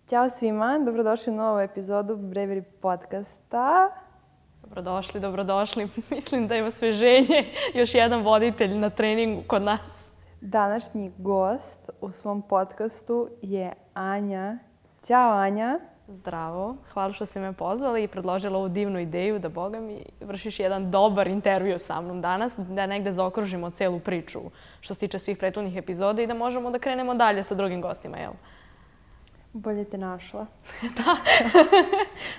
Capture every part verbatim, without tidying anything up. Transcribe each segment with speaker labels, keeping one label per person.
Speaker 1: Ćao svima, dobrodošli u novu epizodu Bravery podcasta.
Speaker 2: Dobrodošli, dobrodošli. Mislim da ima sveženje još jedan voditelj na treningu kod nas.
Speaker 1: Današnji gost u svom podcastu je Anja. Ćao Anja.
Speaker 2: Zdravo, hvala što si me pozvala i predložila ovu divnu ideju da, boga mi, vršiš jedan dobar intervju sa mnom danas, da negde zaokružimo celu priču što se tiče svih prethodnih epizoda i da možemo da krenemo dalje sa drugim gostima, jel?
Speaker 1: Bolje te našla.
Speaker 2: Da.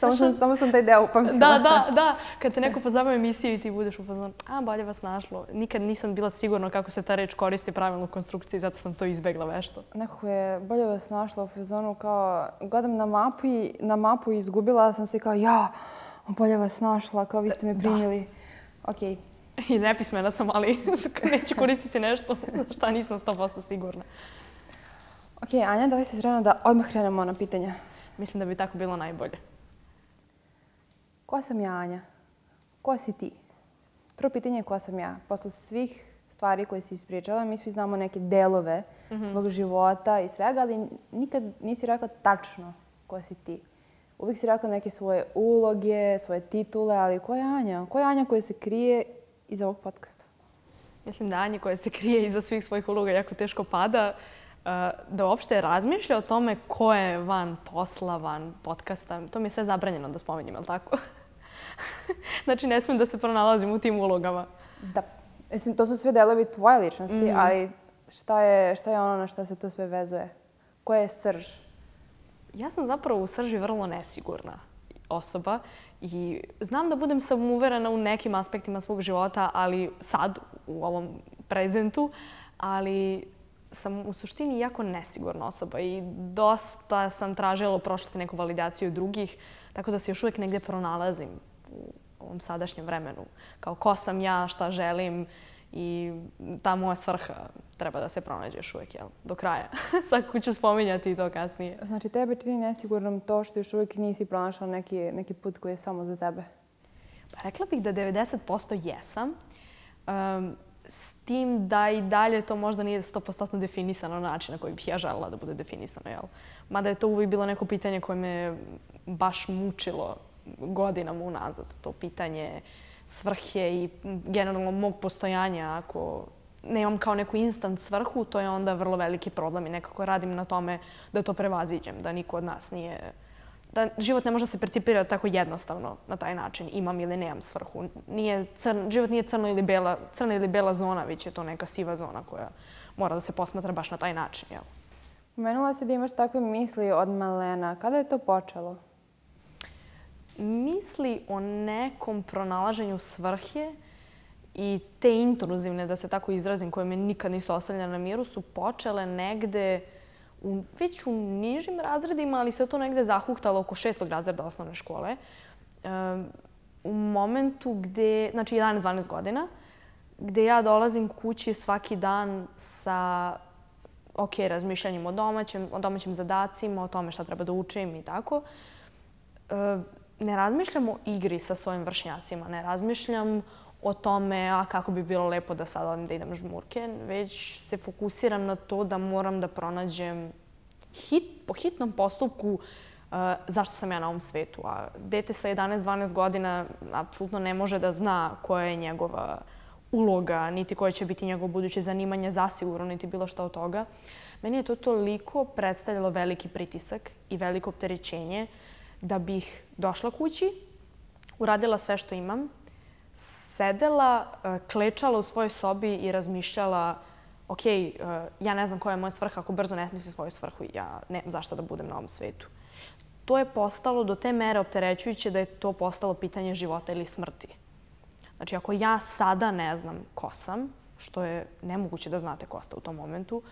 Speaker 1: samo, sam, samo sam taj deo upamtila.
Speaker 2: Da, da, da. Kad te neko pozove emisiju i ti budeš u fazonu, a bolje vas našlo. Nikad nisam bila sigurna kako se ta reč koristi pravilno u konstrukciji, zato sam to izbegla vešto.
Speaker 1: Nekako je bolje vas našla u fazonu kao, gledam na mapu i na mapu i izgubila sam se kao, ja, bolje vas našla, kao vi ste me primili. Da. Okej. Okay.
Speaker 2: I nepismena sam, ali neću koristiti nešto šta nisam sto posto sigurna.
Speaker 1: Ok, Anja, da li si spremna da odmah krenemo na pitanja?
Speaker 2: Mislim da bi tako bilo najbolje.
Speaker 1: Ko sam ja, Anja? Ko si ti? Prvo pitanje je ko sam ja. Posle svih stvari koje si ispričala, mi svi znamo neke delove mm-hmm. tvog života i svega, ali nikad nisi rekla tačno ko si ti. Uvijek si rekla neke svoje uloge, svoje titule, ali ko je Anja? Ko je Anja koja se krije iza ovog podcasta?
Speaker 2: Mislim da Anja koja se krije iza svih svojih uloga jako teško pada. Da uopšte razmišlja o tome ko je van posla, van podcasta. To mi je sve zabranjeno da spominjem, je li tako? Znači, ne smijem da se pronalazim u tim ulogama.
Speaker 1: Da. Mislim, to su sve delovi tvoje ličnosti, mm. ali šta je, šta je ono na šta se to sve vezuje? Koja je srž?
Speaker 2: Ja sam zapravo u srži vrlo nesigurna osoba i znam da budem samouverena u nekim aspektima svog života, ali sad, u ovom prezentu, ali sam u suštini jako nesigurna osoba i dosta sam tražila u prošlosti neku validaciju drugih, tako da se još uvijek negdje pronalazim u ovom sadašnjem vremenu. Kao ko sam ja, šta želim i ta moja svrha treba da se pronađe još uvijek, jel? Do kraja. Svakako ću spominjati i to kasnije.
Speaker 1: Znači, tebe čini nesigurnom to što još uvijek nisi pronašla neki, neki put koji je samo za tebe?
Speaker 2: Pa rekla bih da devedeset posto jesam. Um, S tim da i dalje to možda nije sto posto definisano na način na koji bih ja željela da bude definisano, jel? Mada je to uvijek bilo neko pitanje koje me baš mučilo godinama unazad. To pitanje svrhe i generalno mog postojanja. Ako nemam kao neku instant svrhu, to je onda vrlo veliki problem i nekako radim na tome da to prevaziđem, da niko od nas nije... Da život ne može se percipirati tako jednostavno na taj način, imam ili nemam svrhu. Nije crn, život nije crno ili bela, crna ili bela zona, već je to neka siva zona koja mora da se posmatra baš na taj način. Jel?
Speaker 1: Pomenula si da imaš takve misli od malena. Kada je to počelo?
Speaker 2: Misli o nekom pronalaženju svrhe i te intruzivne, da se tako izrazim, koje me nikad nisu ostavljene na miru, su počele negde U, već u nižim razredima, ali se to negde zahuktalo oko šestog razreda osnovne škole. Um, u momentu gde, znači jedanaest dvanaest godina, gde ja dolazim kući svaki dan sa ok, razmišljanjem o domaćem, o domaćim zadacima, o tome šta treba da učim i tako. Um, ne razmišljam o igri sa svojim vršnjacima, ne razmišljam o tome a kako bi bilo lepo da sad odim da idem žmurke, već se fokusiram na to da moram da pronađem hit, po hitnom postupku uh, zašto sam ja na ovom svetu. A dete sa jedanaest dvanaest godina apsolutno ne može da zna koja je njegova uloga, niti koje će biti njegovo buduće zanimanje, zasigurno, niti bilo što od toga. Meni je to toliko predstavljalo veliki pritisak i veliko opterećenje da bih došla kući, uradila sve što imam, sedela, klečala u svojoj sobi i razmišljala ok, ja ne znam koja je moja svrha, ako brzo ne smislim svoju svrhu, ja nemam zašto da budem na ovom svetu. To je postalo do te mere opterećujuće da je to postalo pitanje života ili smrti. Znači, ako ja sada ne znam ko sam, što je nemoguće da znate ko ste u tom momentu,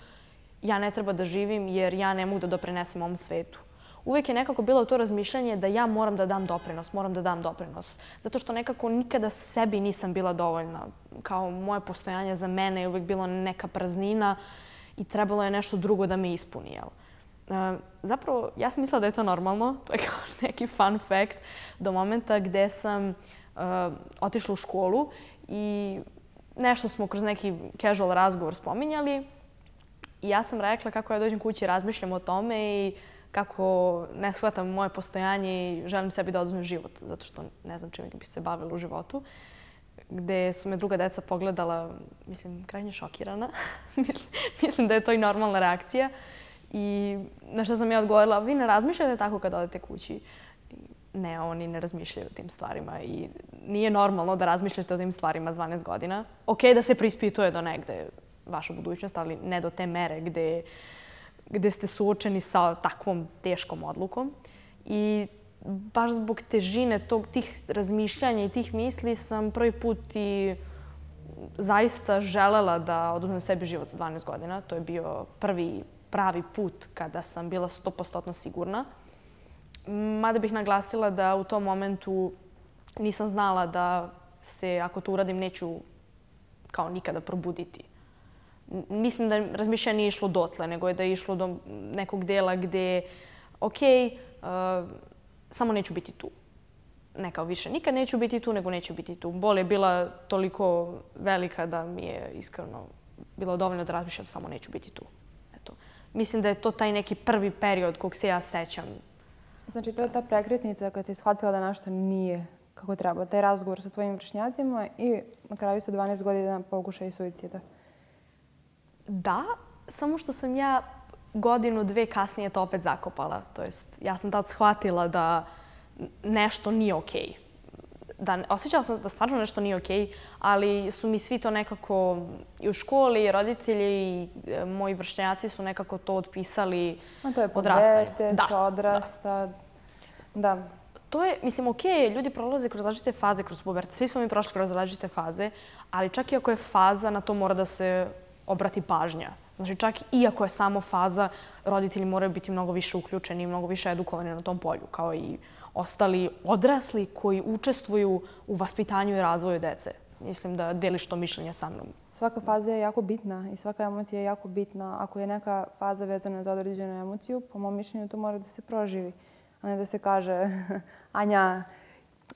Speaker 2: ja ne treba da živim jer ja ne mogu da doprinesem ovom svetu. Uvijek je nekako bilo to razmišljanje da ja moram da dam doprinos, moram da dam doprinos. Zato što nekako nikada sebi nisam bila dovoljna. Kao moje postojanje za mene je uvijek bilo neka praznina i trebalo je nešto drugo da me ispuni. Jel? Zapravo, ja sam mislila da je to normalno. To je kao neki fun fact do momenta gde sam uh, otišla u školu i nešto smo kroz neki casual razgovor spominjali. I ja sam rekla kako ja dođem kući i razmišljam o tome i kako ne shvatam moje postojanje i želim sebi da oduzmem život, zato što ne znam čime bi se bavila u životu. Gde su me druga deca pogledala, mislim, krajnje šokirana. Mislim da je to i normalna reakcija. I na što sam ja odgovorila, vi ne razmišljate tako kad odete kući. Ne, oni ne razmišljaju o tim stvarima i nije normalno da razmišljate o tim stvarima s dvanaest godina. Okej da se preispituje do negde vaša budućnost, ali ne do te mere gde, gde ste suočeni sa takvom teškom odlukom. I baš zbog težine tog, tih razmišljanja i tih misli sam prvi put i zaista želela da oduzmem sebi život sa dvanaest godina. To je bio prvi pravi put kada sam bila sto posto sigurna. Mada bih naglasila da u tom momentu nisam znala da se, ako to uradim, neću kao nikada probuditi. Mislim da razmišljanje nije išlo dotle, nego je da je išlo do nekog dela gde, ok, uh, samo neću biti tu. Ne kao više nikad neću biti tu, nego neću biti tu. Bol je bila toliko velika da mi je iskreno bilo dovoljno da razmišljam, samo neću biti tu. Eto. Mislim da je to taj neki prvi period kog se ja sećam.
Speaker 1: Znači, to je ta prekretnica kad si shvatila da nešto nije kako treba. Taj razgovor sa tvojim vršnjacima i na kraju sa dvanaest godina pokušaj suicida.
Speaker 2: Da, samo što sam ja godinu, dve kasnije to opet zakopala. To jest, ja sam tad shvatila da nešto nije okej. Da, osjećala sam da stvarno nešto nije okej, ali su mi svi to nekako i u školi, i roditelji, i moji vršnjaci su nekako to otpisali
Speaker 1: odrastanju. To je pubertet, odrasta. Da.
Speaker 2: To je, mislim, okej, ljudi prolaze kroz različite faze kroz pubertet. Svi smo mi prošli kroz različite faze, ali čak i ako je faza, na to mora da se obrati pažnja. Znači, čak i ako je samo faza, roditelji moraju biti mnogo više uključeni i mnogo više edukovani na tom polju, kao i ostali odrasli koji učestvuju u vaspitanju i razvoju dece. Mislim da deliš to mišljenje sa mnom.
Speaker 1: Svaka faza je jako bitna i svaka emocija je jako bitna. Ako je neka faza vezana za određenu emociju, po mom mišljenju to mora da se proživi. A ne da se kaže, Anja,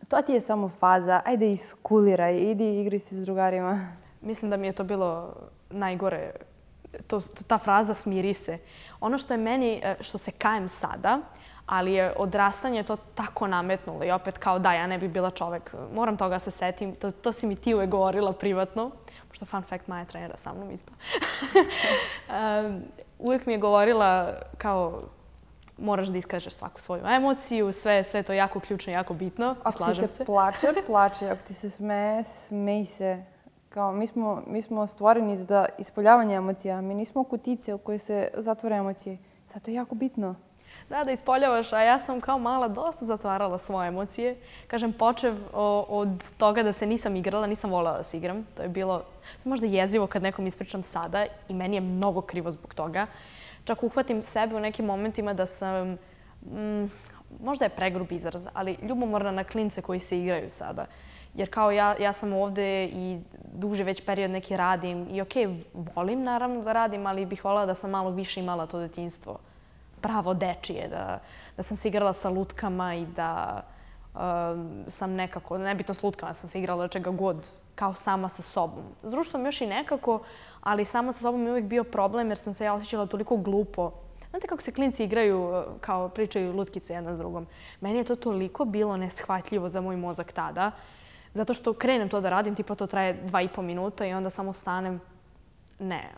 Speaker 1: to ti je samo faza, ajde iskuliraj, idi igri se s drugarima.
Speaker 2: Mislim da mi je to bilo najgore, to, ta fraza smiri se. Ono što je meni, što se kajem sada, ali je odrastanje to tako nametnulo i opet kao da, ja ne bih bila čovek. Moram toga se setim, to, to si mi ti uvek govorila privatno, pošto fun fact, Maja trenira sa mnom isto. um, uvek mi je govorila kao moraš da iskažeš svaku svoju emociju, sve, sve to jako ključno, jako bitno.
Speaker 1: Ako ti se plače, plače. Ako ti se smeje, smej se. Kao, mi, smo, mi smo stvoreni za ispoljavanje emocija. Mi nismo kutice u kojoj se zatvore emocije. Sad to je jako bitno.
Speaker 2: Da, da ispoljavaš, a ja sam kao mala dosta zatvarala svoje emocije. Kažem, počev od toga da se nisam igrala, nisam voljela da se igram. To je bilo, to je možda jezivo kad nekom ispričam sada i meni je mnogo krivo zbog toga. Čak uhvatim sebe u nekim momentima da sam, mm, možda je pregrub izraz, ali ljubomorna na klince koji se igraju sada. Jer kao ja, ja sam ovde i duže već period neki radim i okej, okay, volim naravno da radim, ali bih voljela da sam malo više imala to detinjstvo. Pravo dečije, da, da sam se igrala sa lutkama i da um, sam nekako, nebitno s lutkama, sam se igrala čega god, kao sama sa sobom. S društvom još i nekako, ali sama sa sobom je uvijek bio problem jer sam se ja osjećala toliko glupo. Znate kako se klinci igraju, kao pričaju lutkice jedna s drugom. Meni je to toliko bilo neshvatljivo za moj mozak tada, zato što krenem to da radim, tipa to traje dva i po minuta i onda samo stanem. Ne,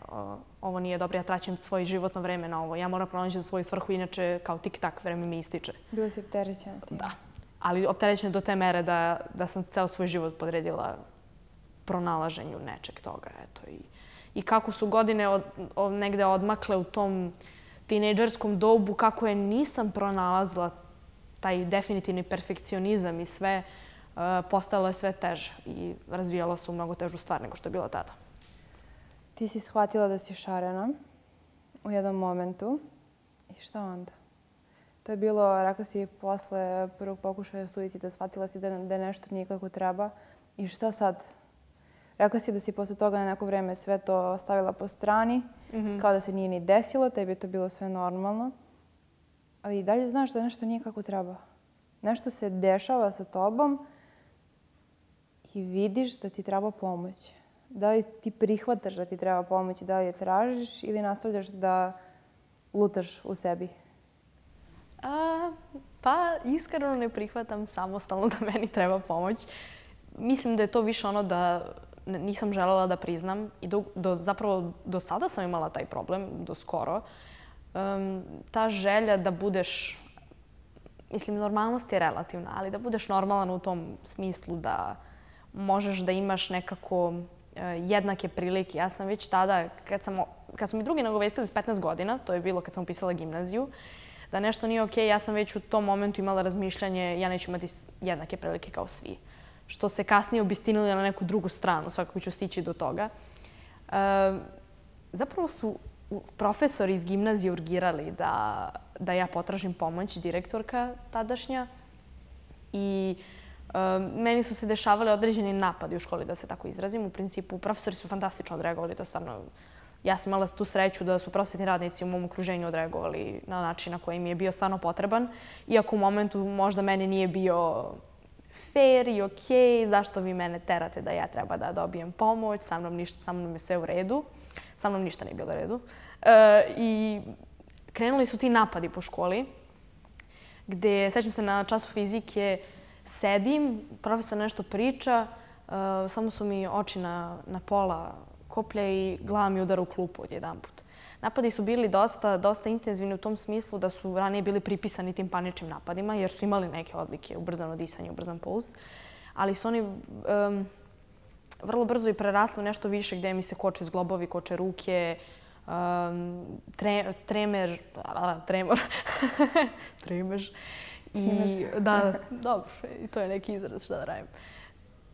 Speaker 2: ovo nije dobro, ja traćim svoje životno vreme na ovo. Ja moram pronaći za svoju svrhu, inače kao tik-tak vreme mi ističe.
Speaker 1: Bilo si opterećena ti?
Speaker 2: Da, ali opterećena do te mere da, da sam ceo svoj život podredila pronalaženju nečeg toga. Eto. I, I kako su godine od, od, negde odmakle u tom tinejdžerskom dobu, kako je nisam pronalazila taj definitivni perfekcionizam i sve, uh, postalo je sve teže i razvijalo se u mnogo težu stvar nego što je bila tada.
Speaker 1: Ti si shvatila da si šarena u jednom momentu. I šta onda? To je bilo, rekla si, posle prvog pokušaja suicida, shvatila si da, da nešto nije kako treba. I šta sad? Rekla si da si posle toga na neko vreme sve to stavila po strani, mm-hmm. kao da se nije ni desilo, tebi je to bilo sve normalno. Ali i dalje znaš da nešto nije kako treba. Nešto se dešava sa tobom i vidiš da ti treba pomoć. Da li ti prihvataš da ti treba pomoć, da li je tražiš ili nastavljaš da lutaš u sebi?
Speaker 2: A, pa iskreno ne prihvatam samostalno da meni treba pomoć. Mislim da je to više ono da nisam želela da priznam i do, do, zapravo do sada sam imala taj problem, do skoro. Um, ta želja da budeš, mislim, normalnost je relativna, ali da budeš normalan u tom smislu da možeš da imaš nekako uh, jednake prilike. Ja sam već tada, kad, sam, kad su mi drugi nagovestili s petnaest godina, to je bilo kad sam upisala gimnaziju, da nešto nije okej, ja sam već u tom momentu imala razmišljanje ja neću imati jednake prilike kao svi. Što se kasnije obistinilo na neku drugu stranu, svakako ću stići do toga. Uh, zapravo su profesori iz gimnazije urgirali da, da ja potražim pomoć, direktorka tadašnja. I uh, meni su se dešavali određeni napadi u školi, da se tako izrazim. U principu, profesori su fantastično odreagovali, to stvarno... Ja sam imala tu sreću da su prosvetni radnici u mom okruženju odreagovali na način na koji mi je bio stvarno potreban. Iako u momentu možda meni nije bio fair i okej, zašto vi mene terate da ja treba da dobijem pomoć, sa mnom, ništa, sa mnom je sve u redu. Sa mnom ništa nije bilo u redu. E, I krenuli su ti napadi po školi, gde, sećam se na času fizike, sedim, profesor nešto priča, e, samo su mi oči na, na pola koplja i glava mi udara u klupu odjedanput. Napadi su bili dosta, dosta intenzivni u tom smislu da su ranije bili pripisani tim paničnim napadima, jer su imali neke odlike, ubrzano disanje, ubrzan puls. Ali su oni um, vrlo brzo i prerasli u nešto više gde mi se koče zglobovi, koče ruke, um, tre, tremer, a, tremor, tremež. I, da, dobro, i to je neki izraz, šta da radim.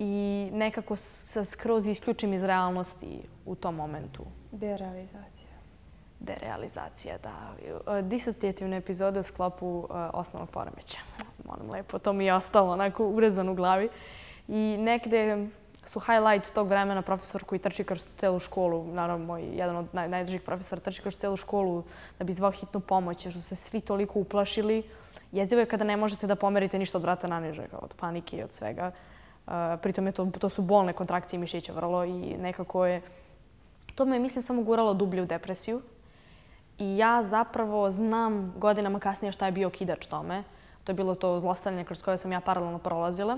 Speaker 2: I nekako se skroz isključim iz realnosti u tom momentu.
Speaker 1: Derealizacija.
Speaker 2: Derealizacija, da. Disocijativne epizode u sklopu uh, osnovnog poremećaja. Molim lepo, to mi je ostalo onako urezano u glavi. I negde su highlight tog vremena profesor koji trči kroz celu školu, naravno moj jedan od naj, najdržih profesora, trči kroz celu školu da bi zvao hitnu pomoć, jer su se svi toliko uplašili. Jezivo je kada ne možete da pomerite ništa od vrata naniže, od panike i od svega. Uh, pritom je to, to su bolne kontrakcije mišića vrlo i nekako je... To me, mislim, samo guralo dublje u depresiju. I ja zapravo znam godinama kasnije šta je bio okidač tome. To je bilo to zlostavljanje kroz koje sam ja paralelno prolazila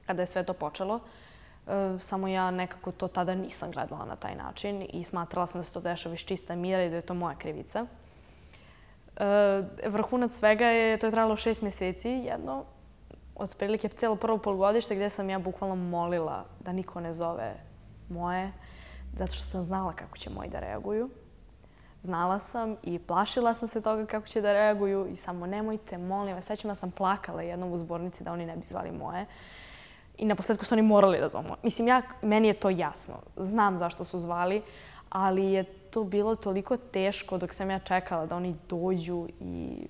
Speaker 2: kada je sve to počelo. Uh, samo ja nekako to tada nisam gledala na taj način i smatrala sam da se to dešava iz čista mira i da je to moja krivica. Uh, vrhunac svega je, to je trajalo šest mjeseci jedno, otprilike cijelo prvo polugodište gdje sam ja bukvalno molila da niko ne zove moje, zato što sam znala kako će moji da reaguju. Znala sam i plašila sam se toga kako će da reaguju i samo nemojte, molim vas. Sećam da sam plakala jednom u zbornici da oni ne bi zvali moje. I na posledku su oni morali da zovu moje. Mislim, ja, meni je to jasno. Znam zašto su zvali, ali je to bilo toliko teško dok sam ja čekala da oni dođu i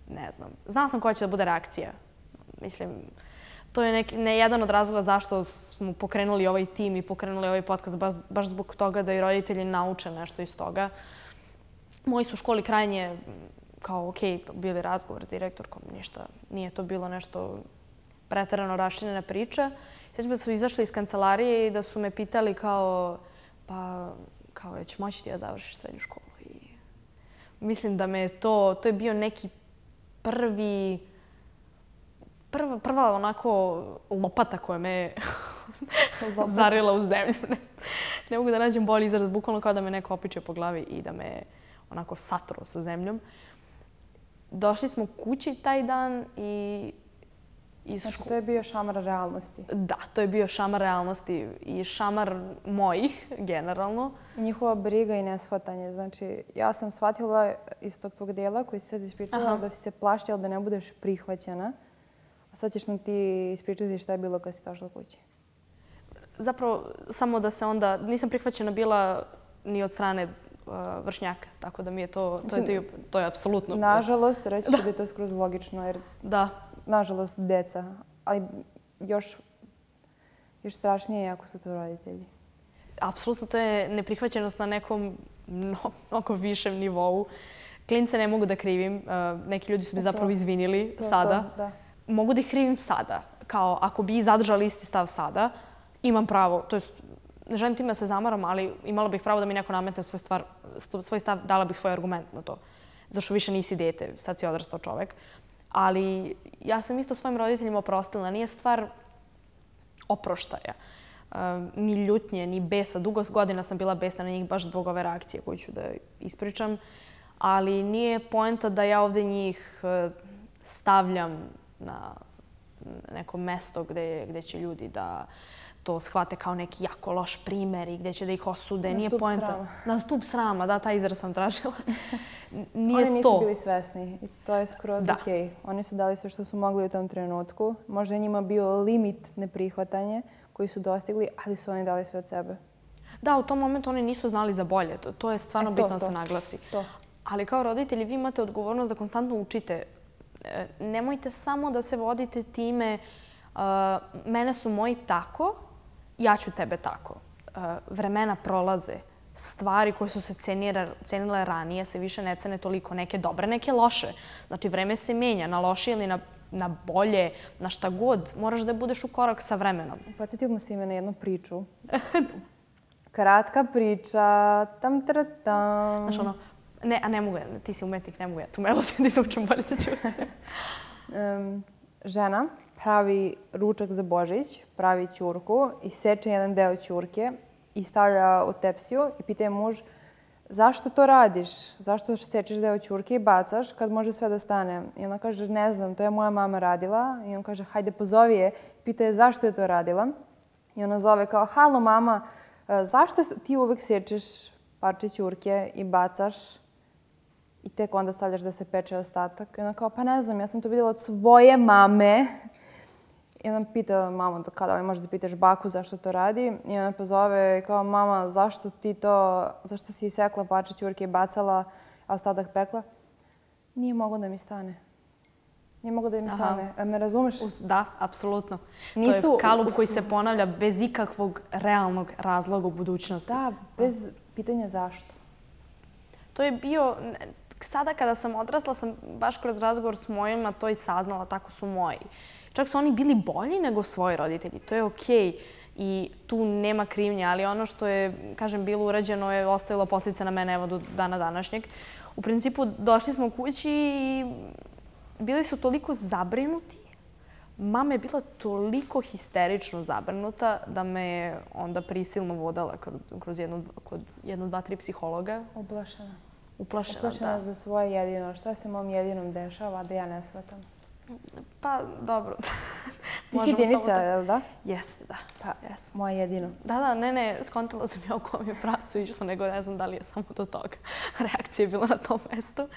Speaker 2: ne znam. Znala sam koja će da bude reakcija. Mislim, to je neki, ne jedan od razloga zašto smo pokrenuli ovaj tim i pokrenuli ovaj podcast, baš, baš zbog toga da i roditelji nauče nešto iz toga. Moji su u školi krajnje, kao ok, bili razgovor s direktorkom, ništa. Nije to bilo nešto preterano raširena priča. Sjećam da su izašli iz kancelarije i da su me pitali kao, pa, kao, već moći ti da završiš srednju školu. I mislim da me to, to je bio neki prvi, prva, prva onako lopata koja me zarila u zemlju. Ne, ne mogu da nađem bolji izraz, bukvalno kao da me neko opiče po glavi i da me onako satro sa zemljom. Došli smo kući taj dan i iz
Speaker 1: Znači, to je bio šamar realnosti.
Speaker 2: Da, to je bio šamar realnosti i šamar mojih, generalno.
Speaker 1: I njihova briga i neshvatanje. Znači, ja sam shvatila iz tog tvog dijela koji si sad ispričala da si se plaštila da ne budeš prihvaćena. A sad ćeš nam ti ispričati šta je bilo kad si došla kući.
Speaker 2: Zapravo, samo da se onda... Nisam prihvaćena bila ni od strane uh, vršnjaka, tako da mi je to... To je, to je apsolutno...
Speaker 1: Nažalost, reći ću da je to skroz logično, jer...
Speaker 2: Da.
Speaker 1: Nažalost, deca. Ali još, još strašnije je ako su to roditelji.
Speaker 2: Apsolutno, to je neprihvaćenost na nekom mnogo višem nivou. Klince ne mogu da krivim. Uh, neki ljudi su mi zapravo izvinili
Speaker 1: to,
Speaker 2: sada.
Speaker 1: To, da.
Speaker 2: Mogu da ih krivim sada. Kao, ako bi zadržali isti stav sada, imam pravo, to jest, ne želim time da se zamaram, ali imala bih pravo da mi neko nametne svoj, stvar, svoj stav, dala bih svoj argument na to. Zašto više nisi dete, sad si odrastao čovek. Ali ja sam isto svojim roditeljima oprostila. Nije stvar oproštaja. Ni ljutnje, ni besa. Dugo godina sam bila besna na njih baš zbog ove reakcije koju ću da ispričam. Ali nije poenta da ja ovde njih stavljam na neko mesto gde, gde će ljudi da to shvate kao neki jako loš primer i gde će da ih osude.
Speaker 1: Na
Speaker 2: nije
Speaker 1: stup
Speaker 2: poenta.
Speaker 1: srama.
Speaker 2: Na stup srama, da, taj izraz sam tražila. Nije
Speaker 1: Oni nisu
Speaker 2: to.
Speaker 1: bili svesni i to je skroz
Speaker 2: Da.
Speaker 1: okej. Oni su dali sve što su mogli u tom trenutku. Možda je njima bio limit neprihvatanje koji su dostigli, ali su oni dali sve od sebe.
Speaker 2: Da, u tom momentu oni nisu znali za bolje. To, to je stvarno
Speaker 1: E, to,
Speaker 2: bitno da
Speaker 1: to.
Speaker 2: se naglasi.
Speaker 1: To.
Speaker 2: Ali kao roditelji vi imate odgovornost da konstantno učite. E, Nemojte samo da se vodite time uh, mene su moji tako, ja ću tebe tako. Uh, Vremena prolaze. Stvari koje su se cenira, cenile ranije se više ne cene toliko. Neke dobre, neke loše. Znači, vreme se menja na loše ili na, na bolje, na šta god. Moraš da budeš u korak sa vremenom.
Speaker 1: Podsjetimo se ime na jednu priču. Kratka priča. Tam, tra, tam.
Speaker 2: Znaš, ono, ne, a ne mogu ja, ti si umetnik, ne mogu ja tu melodiju da izvučem bolje da ću.
Speaker 1: Um, žena pravi ručak za Božić, pravi ćurku i seče jedan deo ćurke i stavlja u tepsiju i pita je muž zašto to radiš? Zašto sečeš deo ćurke i bacaš kad može sve da stane? I ona kaže ne znam, to je moja mama radila. I on kaže hajde pozovi je. Pita je zašto je to radila. I ona zove kao halo mama, zašto ti uvek sečeš parče ćurke i bacaš i tek onda stavljaš da se peče ostatak? I ona kao pa ne znam, ja sam to vidjela od svoje mame. I ona pita mamu da li možeš da pitaš baku zašto to radi. I ona pozove i kao mama zašto ti to, zašto si isekla parče ćurke i bacala, a ostatak pekla? Nije moglo da mi stane. Nije moglo da mi stane. A me razumeš?
Speaker 2: Da, apsolutno.
Speaker 1: Nisu,
Speaker 2: to je kalup koji se ponavlja bez ikakvog realnog razloga u budućnosti.
Speaker 1: Da, bez pitanja zašto.
Speaker 2: To je bio, sada kada sam odrasla sam baš kroz razgovor s mojima to i saznala, tako su moji. Čak su oni bili bolji nego svoji roditelji. To je okej i tu nema krivnje, ali ono što je, kažem, bilo urađeno je ostavilo posljedice na mene evo do dana današnjeg. U principu došli smo kući i bili su toliko zabrinuti. Mama je bila toliko histerično zabrinuta da me je onda prisilno vodala kroz jednu, kod jednu, dva, tri psihologa.
Speaker 1: Uplašena.
Speaker 2: Uplašena,
Speaker 1: Uplašena
Speaker 2: da.
Speaker 1: za svoje jedino. Šta se mom jedinom dešava, da ja ne shvatam?
Speaker 2: Pa, dobro.
Speaker 1: Ti si jedinica,
Speaker 2: da...
Speaker 1: jel da?
Speaker 2: Jeste, da.
Speaker 1: Pa,
Speaker 2: yes.
Speaker 1: moja jedino.
Speaker 2: Da, da, ne, ne, skontala sam ja u kom je pracu išla, nego ne znam da li je samo do toga. Reakcija je bila na tom mestu.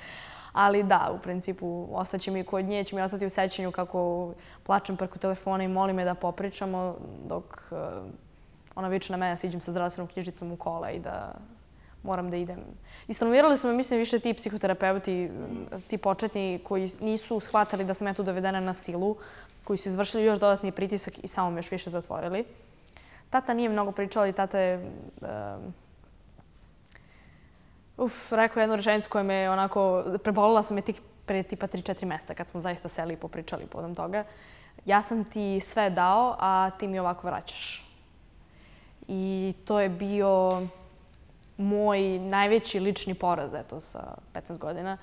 Speaker 2: Ali da, u principu, ostaće mi kod nje, će mi ostati u sećanju kako plačem preko telefona i molim me da popričamo, dok uh, ona viče na mene, siđem sa zdravstvenom knjižicom u kola i da moram da idem. Istanovirali su me, mislim, više ti psihoterapeuti, ti početni koji nisu shvatali da sam ja tu dovedena na silu, koji su izvršili još dodatni pritisak i samo me još više zatvorili. Tata nije mnogo pričala i tata je... Uh, Uf, rekao jednu rečenicu koja me onako... Prebolila sam je tik pre tipa tri četiri mjeseca kad smo zaista seli i popričali podom toga. Ja sam ti sve dao, a ti mi ovako vraćaš. I to je bio moj najveći lični poraz, eto, sa petnaest godina,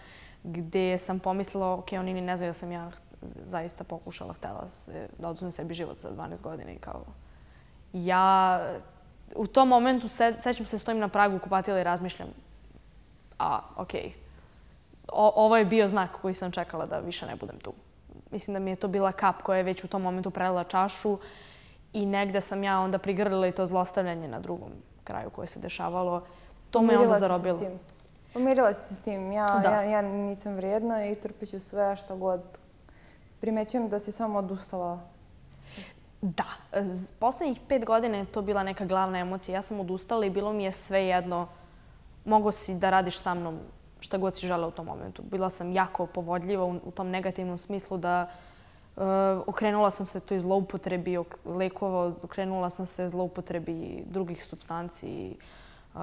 Speaker 2: gdje sam pomislila, ok, oni ni ne znaju da sam ja zaista pokušala, htjela se, da odzumem sebi život za dvanaest godina i kao... Ja u tom momentu, se, sećam se, stojim na pragu kupatila i razmišljam, a, okej, okay. Ovo je bio znak koji sam čekala da više ne budem tu. Mislim da mi je to bila kap koja je već u tom momentu prelila čašu i negde sam ja onda prigrlila i to zlostavljanje na drugom kraju koje se dešavalo. To me onda zarobilo.
Speaker 1: Pomirila si se s tim. Ja, ja, ja nisam vrijedna i trpit ću sve što god. Primećujem da si samo odustala.
Speaker 2: Da. Poslednjih pet godina je to bila neka glavna emocija. Ja sam odustala i bilo mi je sve jedno. Mogo si da radiš sa mnom šta god si žela u tom momentu. Bila sam jako povodljiva u, u tom negativnom smislu da uh, okrenula sam se toj zloupotrebi lekova, okrenula sam se zloupotrebi drugih supstanci, uh,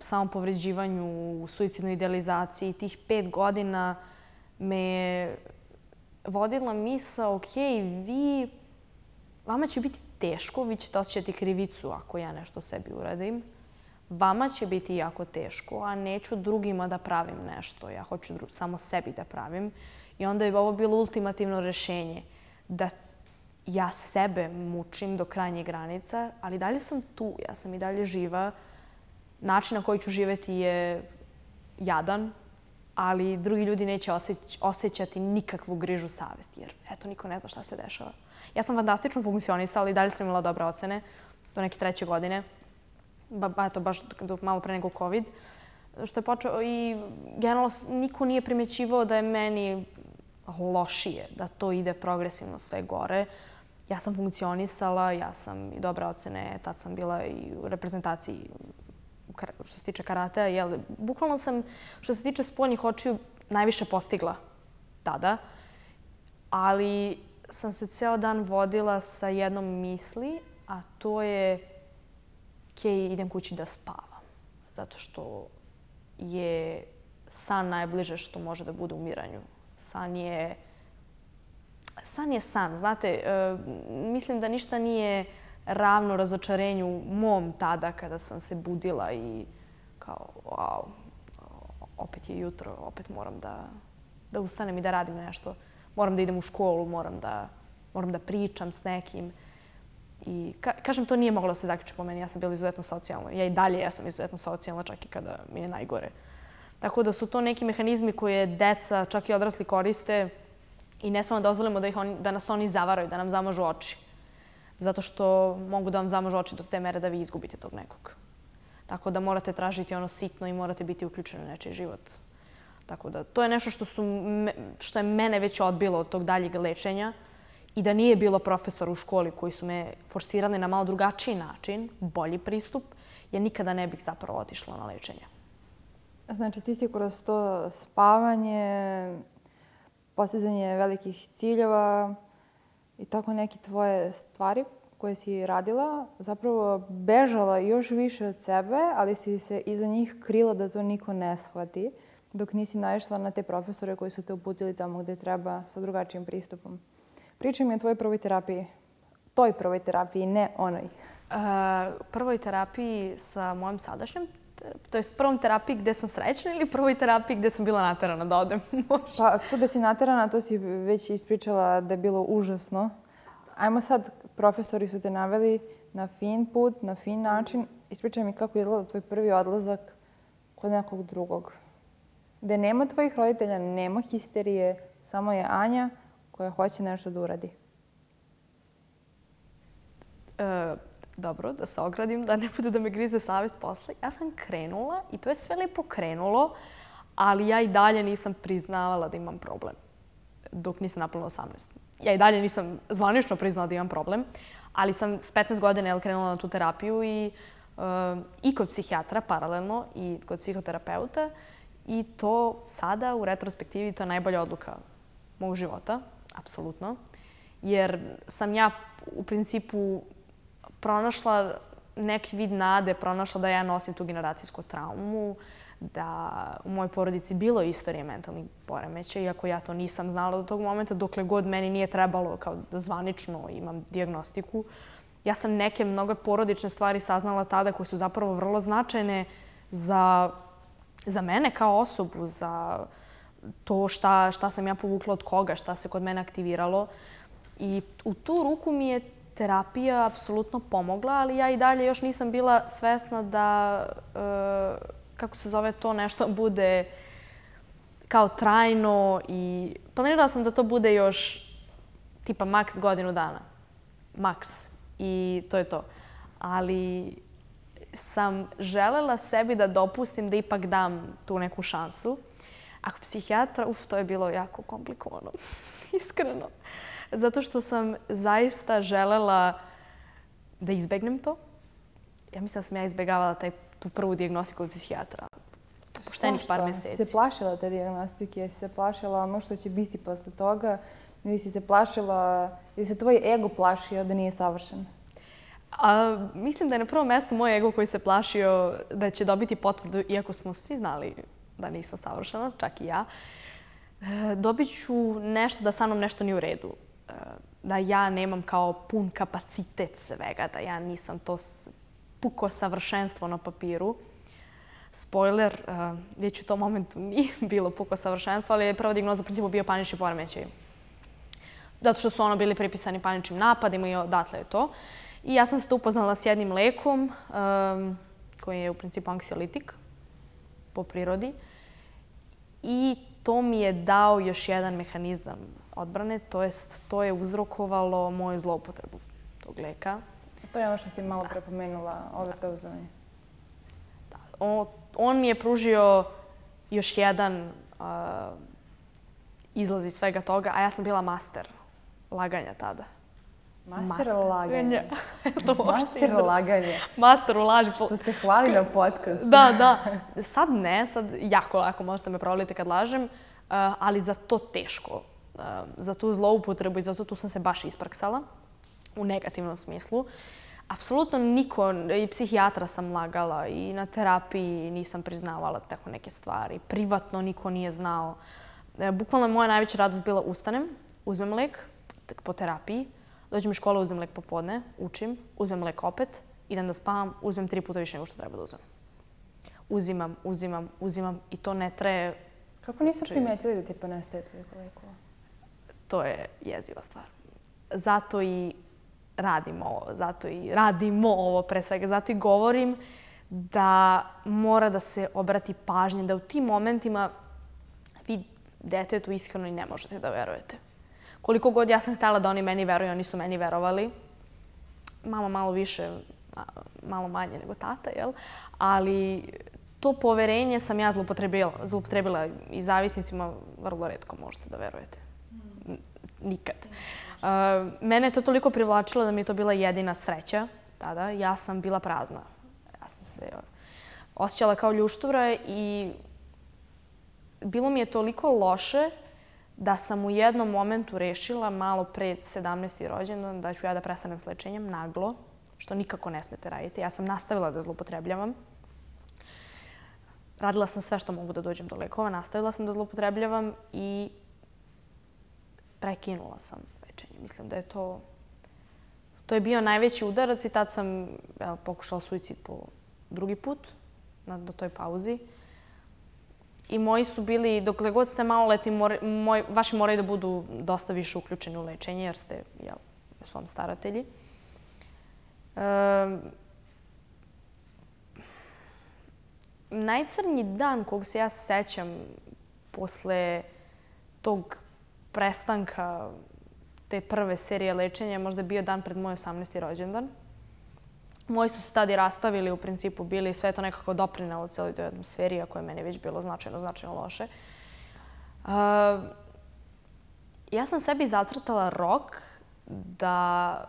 Speaker 2: samopovređivanju, suicidnoj idealizaciji. Tih pet godina me je vodila misao, ok, vi, vama će biti teško, vi ćete osjećati krivicu ako ja nešto sebi uradim. vama će biti jako teško, a neću drugima da pravim nešto. Ja hoću samo sebi da pravim. I onda je ovo bilo ultimativno rešenje da ja sebe mučim do krajnjih granica, ali dalje sam tu, ja sam i dalje živa. Način na koji ću živeti je jadan, ali drugi ljudi neće osjećati nikakvu grižu savesti, jer eto, niko ne zna šta se dešava. Ja sam fantastično funkcionisala i dalje sam imala dobre ocene do neke treće godine. Ba, eto, baš malo pre nego COVID. Što je počeo i generalno niko nije primećivao da je meni lošije, da to ide progresivno sve gore. Ja sam funkcionisala, ja sam i dobre ocene, tad sam bila i u reprezentaciji što se tiče karatea, jel, bukvalno sam, što se tiče spoljnih očiju, najviše postigla tada, ali sam se ceo dan vodila sa jednom misli, a to je Kej, idem kući da spavam, zato što je san najbliže što može da bude umiranju. San je san, je san. Znate, mislim da ništa nije ravno razočarenju mom tada kada sam se budila i kao, wow, opet je jutro, opet moram da, da ustanem i da radim nešto. Moram da idem u školu, moram da, moram da pričam s nekim. I ka, kažem, to nije moglo da se zaključi po meni. Ja sam bila izuzetno socijalna. Ja i dalje ja sam izuzetno socijalna, čak i kada mi je najgore. Tako da su to neki mehanizmi koje deca, čak i odrasli, koriste i ne smemo da dozvolimo da, ih oni, da nas oni zavaraju, da nam zamažu oči. Zato što mogu da vam zamažu oči do te mere da vi izgubite tog nekog. Tako da morate tražiti ono sitno i morate biti uključeni u nečiji život. Tako da to je nešto što, su, što je mene već odbilo od tog daljeg lečenja. I da nije bilo profesora u školi koji su me forsirali na malo drugačiji način, bolji pristup, ja nikada ne bih zapravo otišla na lečenje.
Speaker 1: Znači, ti si kroz to spavanje, postizanje velikih ciljeva i tako neke tvoje stvari koje si radila, zapravo bežala još više od sebe, ali si se iza njih krila da to niko ne shvati, dok nisi naišla na te profesore koji su te uputili tamo gde treba sa drugačijim pristupom. Pričaj mi o tvojoj prvoj terapiji. Toj prvoj terapiji, ne onoj.
Speaker 2: Uh, prvoj terapiji sa mojom sadašnjom, to je prvom terapiji gde sam srećna ili prvoj terapiji gde sam bila naterana da odem?
Speaker 1: Pa tu da si naterana, to si već ispričala da je bilo užasno. Ajmo sad, profesori su te naveli na fin put, na fin način. Ispričaj mi kako izgleda tvoj prvi odlazak kod nekog drugog. Gde nema tvojih roditelja, nema histerije, samo je Anja koja hoće nešto da uradi.
Speaker 2: E, dobro, da se ogradim, da ne bude da me grize savest posle. Ja sam krenula i to je sve lepo krenulo, ali ja i dalje nisam priznavala da imam problem dok nisam napunila osamnaest. Ja i dalje nisam zvanično priznala da imam problem, ali sam s petnaest godina krenula na tu terapiju i, uh, i kod psihijatra paralelno i kod psihoterapeuta i to sada u retrospektivi to je najbolja odluka mog života, apsolutno, jer sam ja u principu pronašla neki vid nade, pronašla da ja nosim tu generacijsku traumu, da u mojoj porodici bilo istorije mentalnih poremećaja, iako ja to nisam znala do tog momenta, dokle god meni nije trebalo kao da zvanično imam dijagnostiku. Ja sam neke mnogo porodične stvari saznala tada koje su zapravo vrlo značajne za, za mene kao osobu, za to šta, šta sam ja povukla od koga, šta se kod mene aktiviralo. I u tu ruku mi je terapija apsolutno pomogla, ali ja i dalje još nisam bila svesna da, e, kako se zove, to nešto bude kao trajno i planirala sam da to bude još tipa maks godinu dana. Maks. I to je to. Ali sam želela sebi da dopustim da ipak dam tu neku šansu. Ako psihijatra, uf, to je bilo jako komplikovano, iskreno. Zato što sam zaista želela da izbegnem to. Ja mislim da sam ja izbegavala taj, tu prvu dijagnostiku od psihijatra. Poštenih par meseci.
Speaker 1: Si se plašila te dijagnostike? Si se plašila ono što će biti posle toga? Ili si se plašila, ili se tvoj ego plašio da nije savršen?
Speaker 2: A, mislim da je na prvom mestu moj ego koji se plašio da će dobiti potvrdu, iako smo svi znali da nisam savršena, čak i ja. Dobit ću nešto da sa mnom nešto nije u redu. Da ja nemam kao pun kapacitet svega, da ja nisam to puko savršenstvo na papiru. Spoiler, uh, već u tom momentu nije bilo puko savršenstvo, ali je prva dijagnoza u principu bio panični poremećaj. Zato što su ono bili pripisani paničnim napadima i odatle je to. I ja sam se tu upoznala s jednim lekom um, koji je u principu anksiolitik po prirodi. I to mi je dao još jedan mehanizam odbrane, to jest to je uzrokovalo moju zloupotrebu tog leka.
Speaker 1: To je ono što si malo prepomenula, overdozovanje.
Speaker 2: Da, on, on mi je pružio još jedan uh, izlaz iz svega toga, a ja sam bila master laganja tada.
Speaker 1: Master, master laganja?
Speaker 2: to
Speaker 1: master laganja?
Speaker 2: Master u laži.
Speaker 1: To se hvali na podcastu.
Speaker 2: Da, da. Sad ne, sad jako lako možete me provaliti kad lažem, uh, ali za to teško. Uh, za tu zloupotrebu i zato tu sam se baš ispraksala u negativnom smislu. Apsolutno niko, i psihijatra sam lagala i na terapiji nisam priznavala tako neke stvari. Privatno niko nije znao. Uh, bukvalno je moja najveća radost bila ustanem, uzmem lek po terapiji, dođem iz škole, uzmem lek popodne, učim, uzmem lek opet, idem da spavam, uzmem tri puta više nego što treba da uzmem. Uzimam, uzimam, uzimam i to ne traje...
Speaker 1: Kako nisu primetili da ti pa nestaje toliko lekova?
Speaker 2: To je jeziva stvar. Zato i radimo ovo, zato i radimo ovo pre svega, zato i govorim da mora da se obrati pažnje, da u tim momentima vi detetu iskreno i ne možete da verujete. Koliko god ja sam htjela da oni meni veruju, oni su meni verovali. Mama malo više, malo manje nego tata, jel? Ali to poverenje sam ja zloupotrebila, zloupotrebila i zavisnicima vrlo retko možete da verujete. Nikad. Uh, mene je to toliko privlačilo da mi je to bila jedina sreća tada. Ja sam bila prazna. Ja sam se osjećala kao ljuštura i bilo mi je toliko loše da sam u jednom momentu rešila, malo pred sedamnaesti rođendan, da ću ja da prestanem s lečenjem naglo, što nikako ne smete raditi. Ja sam nastavila da zloupotrebljavam. Radila sam sve što mogu da dođem do lekova, nastavila sam da zloupotrebljavam i prekinula sam lečenje. Mislim da je to... To je bio najveći udarac i tad sam jel, pokušala suicid po drugi put na, na toj pauzi. I moji su bili, dokle god ste maloletni, moj, vaši moraju da budu dosta više uključeni u lečenje, jer ste jel, su vam staratelji. E, najcrnji dan kog se ja sećam posle tog prestanka te prve serije lečenja je možda bio dan pred moj osamnaesti rođendan. Moji su se tada i rastavili, u principu bili sve to nekako doprinelo cijeloj toj atmosferi, a koja je meni već bilo značajno, značajno loše. Uh, ja sam sebi zacrtala rok da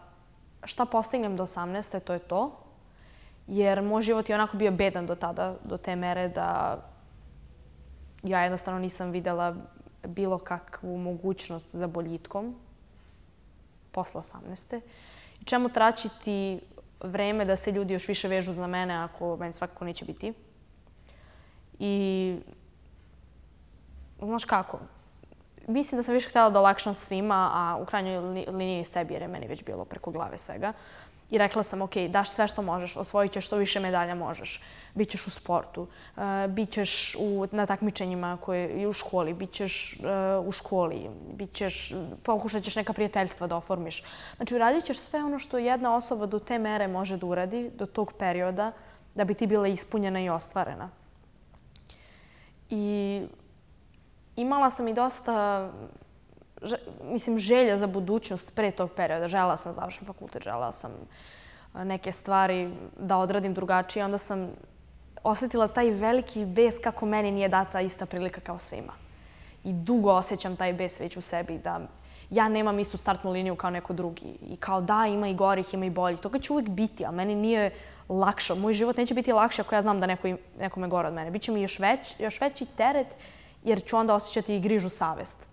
Speaker 2: šta postignem do osamnaeste, to je to. Jer moj život je onako bio bedan do tada, do te mere da ja jednostavno nisam videla bilo kakvu mogućnost za boljitkom posle osamnaeste. I čemu traćiti vreme da se ljudi još više vežu za mene ako meni svakako neće biti. I znaš kako? Mislim da sam više htjela da olakšam svima, a u krajnjoj liniji sebi jer je meni već bilo preko glave svega. I rekla sam, ok, daš sve što možeš, osvojit ćeš što više medalja možeš. Bićeš u sportu, uh, bićeš u, na takmičenjima koje i u školi, bićeš uh, u školi, bićeš, pokušat ćeš neka prijateljstva da oformiš. Znači, uradit ćeš sve ono što jedna osoba do te mere može da uradi, do tog perioda, da bi ti bila ispunjena i ostvarena. I imala sam i dosta... mislim, želja za budućnost pre tog perioda. Želela sam završen fakultet, želela sam neke stvari da odradim drugačije. Onda sam osjetila taj veliki bes kako meni nije data ista prilika kao svima. I dugo osjećam taj bes već u sebi da ja nemam istu startnu liniju kao neko drugi. I kao da, ima i gorih, ima i boljih. Toga će uvijek biti, ali meni nije lakše. Moj život neće biti lakše ako ja znam da neko, nekome gore od mene. Biće mi još, već, još veći teret jer ću onda osjećati i grižu savest.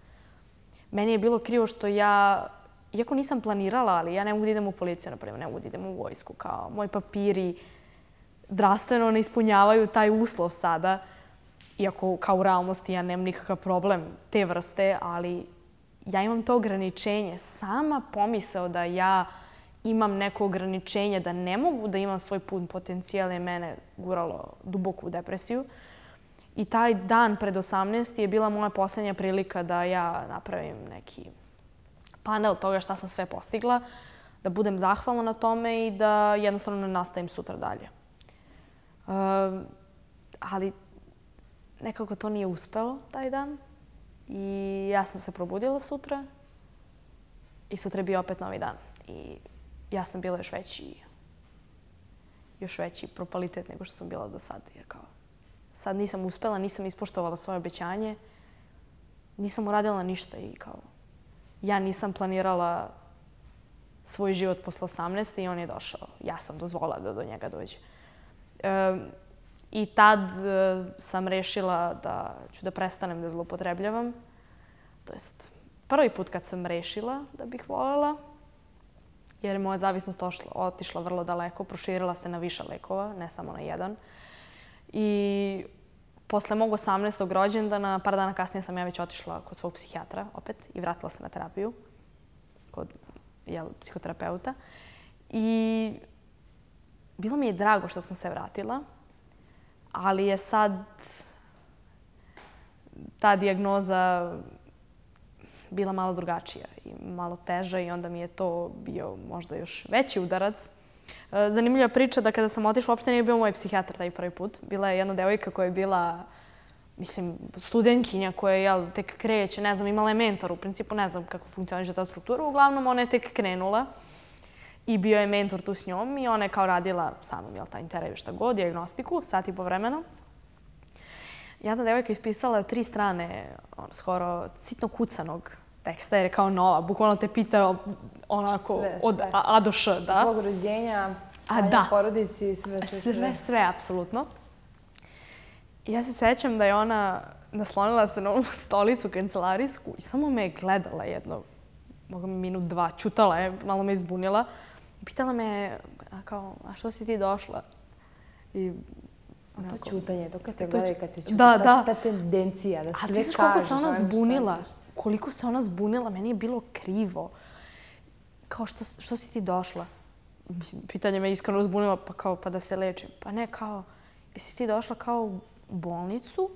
Speaker 2: Meni je bilo krivo što ja, iako nisam planirala, ali ja ne mogu da idem u policiju, naprimjer, ne mogu da idem u vojsku. Kao moji papiri zdravstveno ne ispunjavaju taj uslov sada, iako kao u realnosti ja nemam nikakav problem te vrste, ali ja imam to ograničenje. Sama pomisao da ja imam neko ograničenje, da ne mogu da imam svoj pun potencijal je mene guralo duboko u depresiju. I taj dan pred osamnaesti je bila moja poslednja prilika da ja napravim neki panel toga šta sam sve postigla, da budem zahvalna na tome i da jednostavno ne nastavim sutra dalje. Uh, ali nekako to nije uspelo taj dan i ja sam se probudila sutra i sutra je bio opet novi dan. I ja sam bila još veći, još veći propalitet nego što sam bila do sad. Jer kao, sad nisam uspela, nisam ispoštovala svoje obećanje, nisam uradila ništa i kao, ja nisam planirala svoj život posle osamnaeste i on je došao. Ja sam dozvolila da do njega dođe. E, I tad e, sam rešila da ću da prestanem da zloupotrebljavam. To jest, prvi put kad sam rešila da bih voljela, jer je moja zavisnost ošla, otišla vrlo daleko, proširila se na više lekova, ne samo na jedan. I posle mog osamnaestog rođendana, par dana kasnije sam ja već otišla kod svog psihijatra opet i vratila se na terapiju kod jel, psihoterapeuta. I bilo mi je drago što sam se vratila, ali je sad ta dijagnoza bila malo drugačija i malo teža i onda mi je to bio možda još veći udarac. Zanimljiva priča da kada sam otišla, uopšte nije bio moj psihijatar taj prvi put. Bila je jedna devojka koja je bila, mislim, studentkinja koja je jel, tek kreće, ne znam, imala je mentor, u principu ne znam kako funkcioniše ta struktura. Uglavnom, ona je tek krenula i bio je mentor tu s njom i ona je kao radila sa mnom, jel, taj intervju šta god, dijagnostiku, sat i po vremena. Jedna devojka ispisala tri strane, on, skoro sitno kucanog teksta, jer je kao nova. Bukvalno te pitao onako
Speaker 1: sve,
Speaker 2: od
Speaker 1: sve.
Speaker 2: A do Š, da.
Speaker 1: Tvog rođenja, stanje
Speaker 2: da.
Speaker 1: porodici, sve, sve, sve.
Speaker 2: Sve, sve, apsolutno. I ja se sećam da je ona naslonila se na onu stolicu kancelarijsku i samo me je gledala jedno, mogu mi minut, dva, čutala je, malo me izbunila. I pitala me, a kao, a što si ti došla? I
Speaker 1: A to čutanje, to kad te
Speaker 2: To
Speaker 1: gledaju,
Speaker 2: ću-
Speaker 1: kad te čuta,
Speaker 2: Da, da.
Speaker 1: ta, ta tendencija da sve
Speaker 2: A
Speaker 1: kažeš.
Speaker 2: ti znaš koliko se ona
Speaker 1: ono što
Speaker 2: zbunila?
Speaker 1: misliš.
Speaker 2: Koliko se ona zbunila? Meni je bilo krivo. Kao, što, što si ti došla? Mislim, pitanje me iskreno zbunila, pa kao, pa da se lečim. Pa ne, kao, jesi ti došla kao u bolnicu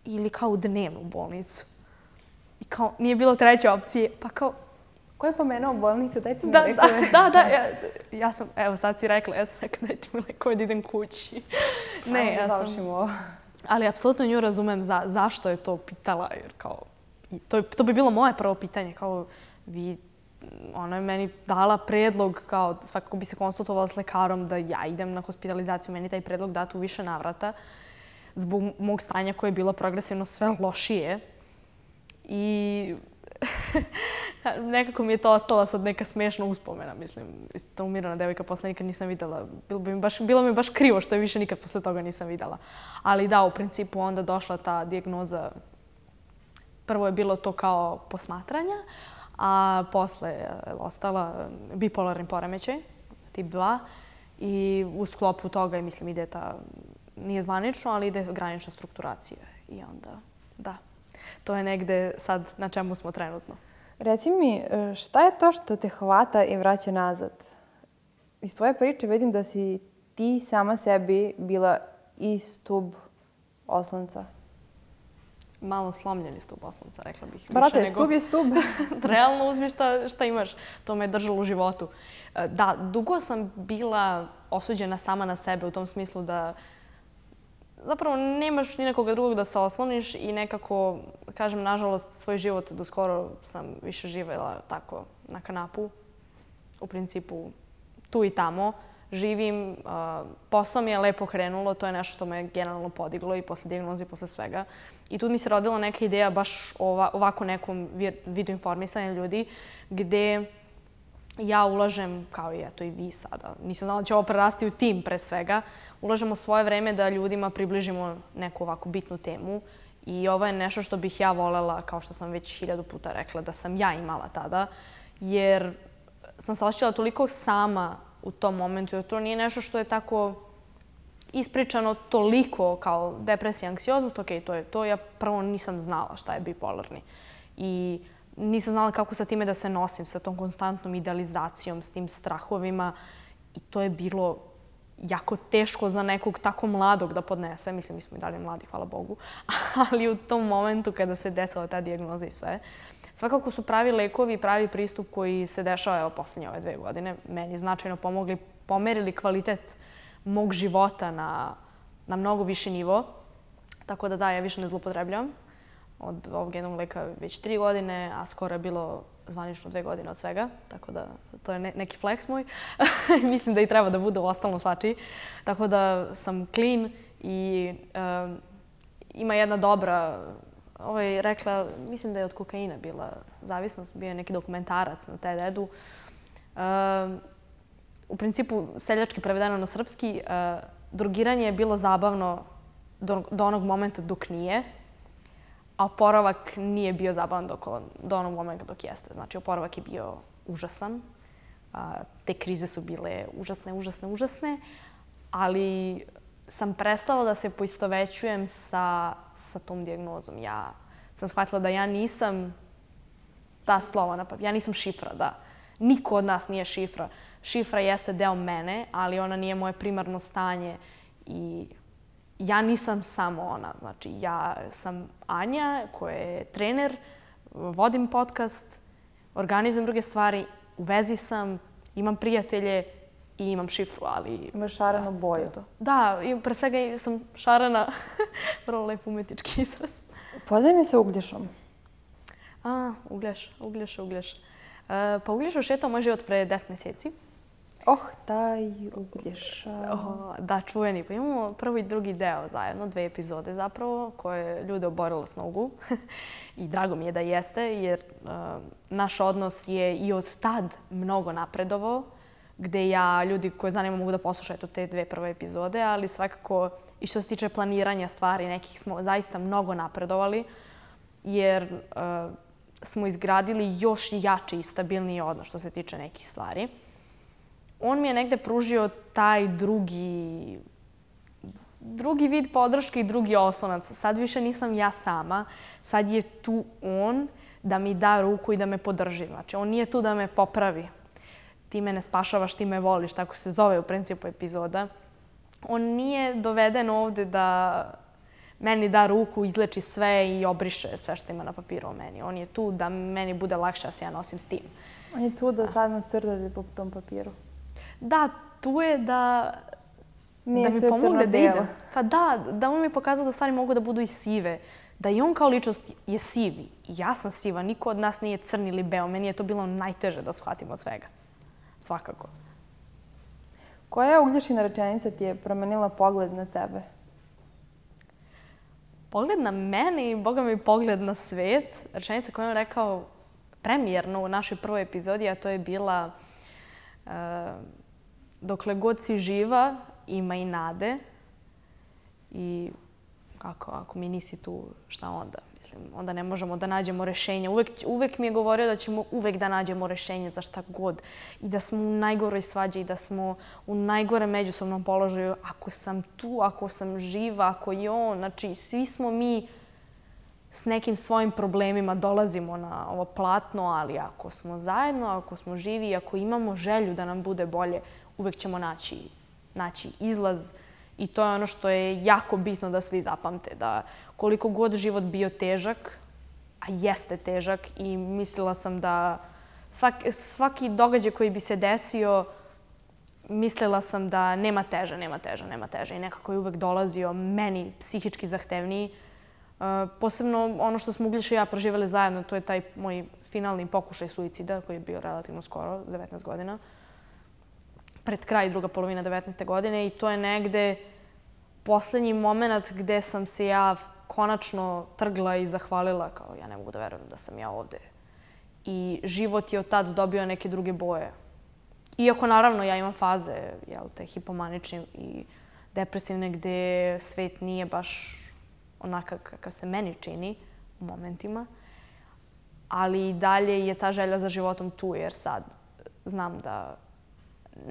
Speaker 2: ili kao u dnevnu bolnicu? I kao, nije bilo treće opcije. Pa kao,
Speaker 1: Ko je pomenuo bolnicu? Dajte mi
Speaker 2: da,
Speaker 1: lekove.
Speaker 2: da, da, da, ja, ja sam, evo sad si rekla, ja sam rekla dajte mi lekove da idem kući. Ne,
Speaker 1: Ajmo da
Speaker 2: ja sam...
Speaker 1: završimo ovo.
Speaker 2: Ali apsolutno nju razumem za, zašto je to pitala, jer kao, i to, je- to bi bilo moje prvo pitanje, kao vi, ona je meni dala predlog, kao svakako bi se konsultovala s lekarom da ja idem na hospitalizaciju, meni taj predlog dat u više navrata, zbog mog stanja koje je bilo progresivno sve lošije. I nekako mi je to ostala sad neka smešna uspomena, mislim. Ta umirana devojka posle nikad nisam videla. Bilo, bi mi baš, bilo mi baš krivo što je više nikad posle toga nisam videla. Ali da, u principu onda došla ta dijagnoza. Prvo je bilo to kao posmatranja, a posle je ostala bipolarni poremećaj, tip dva. I u sklopu toga, mislim, ide ta, nije zvanično, ali ide granična strukturacija. I onda, da, to je negde sad na čemu smo trenutno.
Speaker 1: Reci mi, šta je to što te hvata i vraća nazad? Iz tvoje priče vidim da si ti sama sebi bila i stub oslonca.
Speaker 2: Malo slomljeni stub oslonca, rekla bih.
Speaker 1: Brate,
Speaker 2: više
Speaker 1: stub je stub.
Speaker 2: Realno uzmi šta, šta imaš. To me je držalo u životu. Da, dugo sam bila osuđena sama na sebe u tom smislu da zapravo nemaš ni nekoga drugog da se osloniš i nekako, kažem, nažalost, svoj život do skoro sam više živjela tako na kanapu. U principu tu i tamo živim. Uh, posao mi je lepo krenulo, to je nešto što me generalno podiglo i posle dijagnoze i posle svega. I tu mi se rodila neka ideja baš ova, ovako nekom vidu informisanja ljudi gde ja ulažem, kao i eto i vi sada, nisam znala da će ovo prerasti u tim pre svega, ulažemo svoje vreme da ljudima približimo neku ovako bitnu temu i ovo je nešto što bih ja volela, kao što sam već hiljadu puta rekla, da sam ja imala tada, jer sam se osjećala toliko sama u tom momentu, jer to nije nešto što je tako ispričano toliko kao depresija, anksioznost, ok, to je to. Ja prvo nisam znala šta je bipolarni. I nisam znala kako sa time da se nosim, sa tom konstantnom idealizacijom, s tim strahovima. I to je bilo jako teško za nekog tako mladog da podnese. Mislim, mi smo i dalje mladi, hvala Bogu. Ali u tom momentu kada se desila ta dijagnoza i sve, svakako su pravi lekovi, pravi pristup koji se dešava evo, poslednje ove dve godine, meni značajno pomogli, pomerili kvalitet mog života na, na mnogo viši nivo. Tako da da, ja više ne zloupotrebljavam od ovog jednog leka već tri godine, a skoro je bilo zvanično dve godine od svega. Tako da to je ne, neki flex moj. Mislim da i treba da bude u ostalom svačiji. Tako da sam clean i um, ima jedna dobra, ovo je rekla, mislim da je od kokaina bila zavisnost, bio je neki dokumentarac na TED-u. Um, u principu, seljački prevedeno na srpski, uh, drogiranje je bilo zabavno do, do onog momenta dok nije, a oporavak nije bio zabavan dok, do onog momenta dok jeste. Znači, oporavak je bio užasan. A, te krize su bile užasne, užasne, užasne, ali sam prestala da se poistovećujem sa, sa tom dijagnozom. Ja sam shvatila da ja nisam ta slova na papiru. Ja nisam šifra, da. Niko od nas nije šifra. Šifra jeste deo mene, ali ona nije moje primarno stanje i ja nisam samo ona. Znači, ja sam Anja koja je trener, vodim podcast, organizujem druge stvari, u vezi sam, imam prijatelje i imam šifru, ali...
Speaker 1: Imaš šarenu
Speaker 2: da,
Speaker 1: boju.
Speaker 2: To, to. Da, i pre svega sam šarena, vrlo lep umetnički izraz.
Speaker 1: Poznaj me sa Uglješom.
Speaker 2: A, Uglješ, Uglješ, Uglješ. Uh, pa Uglješ ušetao moj život pre deset mjeseci.
Speaker 1: Oh, taj Uglješ.
Speaker 2: Oh, da, čuveni. Pa imamo prvi i drugi deo zajedno, dve epizode zapravo, koje ljude oborila s nogu. I drago mi je da jeste, jer uh, naš odnos je i od tad mnogo napredovao, gde ja, ljudi koji zanima mogu da poslušaju te dve prve epizode, ali svakako i što se tiče planiranja stvari, nekih smo zaista mnogo napredovali, jer uh, smo izgradili još jači i stabilniji odnos što se tiče nekih stvari. On mi je negde pružio taj drugi, drugi vid podrške i drugi oslonac. Sad više nisam ja sama, sad je tu on da mi da ruku i da me podrži. Znači, on nije tu da me popravi. Ti me ne spašavaš, ti me voliš, tako se zove u principu epizoda. On nije doveden ovde da meni da ruku, izleči sve i obriše sve što ima na papiru o meni. On je tu da meni bude lakše da se ja nosim s tim.
Speaker 1: On je tu da sad nacrtate po tom papiru.
Speaker 2: Da, tu je da,
Speaker 1: Nije
Speaker 2: da mi pomogne da idem. Pa da, da on mi pokazao da stvari mogu da budu i sive. Da i on kao ličnost je sivi. Ja sam siva, niko od nas nije crn ili beo. Meni je to bilo najteže da shvatim od svega. Svakako.
Speaker 1: Koja Uglješina rečenica ti je promenila pogled na tebe?
Speaker 2: Pogled na mene i, boga mi, pogled na svet. Rečenica koju je rekao premijerno u našoj prvoj epizodi, a to je bila uh, dokle god si živa, ima i nade. I kako, ako mi nisi tu, šta onda? Mislim, onda ne možemo da nađemo rešenje. Uvek, uvek mi je govorio da ćemo uvek da nađemo rešenje za šta god. I da smo u najgoroj svađi, i da smo u najgore međusobnom položaju. Ako sam tu, ako sam živa, ako je on, znači svi smo mi s nekim svojim problemima dolazimo na ovo platno, ali ako smo zajedno, ako smo živi, ako imamo želju da nam bude bolje, uvek ćemo naći, naći izlaz. I to je ono što je jako bitno da svi zapamte, da koliko god život bio težak, a jeste težak, i mislila sam da svaki, svaki događaj koji bi se desio, mislila sam da nema teže, nema teže, nema teže. I nekako je uvek dolazio meni psihički zahtevniji. Uh, posebno ono što smo Uglješa i ja proživjeli zajedno, to je taj moj finalni pokušaj suicida koji je bio relativno skoro, devetnaest godina. Pred kraj druga polovina devetnaeste godine, i to je negde poslednji moment gde sam se ja konačno trgla i zahvalila, kao ja ne mogu da verujem da sam ja ovde. I život je od tad dobio neke druge boje. Iako naravno ja imam faze, jel te, hipomanične i depresivne, gde svet nije baš onakav kakav se meni čini u momentima, ali i dalje je ta želja za životom tu, jer sad znam da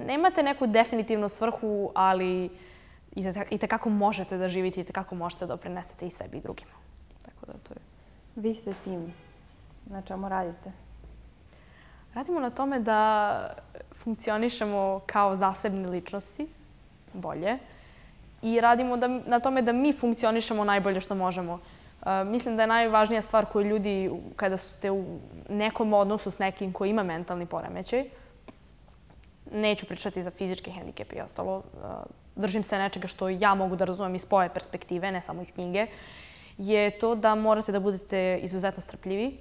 Speaker 2: nemate neku definitivnu svrhu, ali i tekako možete da živite, i tekako možete da doprinesete i sebi i drugima. Tako da to je.
Speaker 1: Vi ste tim. Na čemu radite?
Speaker 2: Radimo na tome da funkcionišemo kao zasebne ličnosti, bolje, i radimo da, na tome da mi funkcionišemo najbolje što možemo. Uh, mislim da je najvažnija stvar koju ljudi, kada ste u nekom odnosu s nekim koji ima mentalni poremećaj, neću pričati za fizičke hendikepe i ostalo, uh, držim se nečega što ja mogu da razumem iz svoje perspektive, ne samo iz knjige, je to da morate da budete izuzetno strpljivi,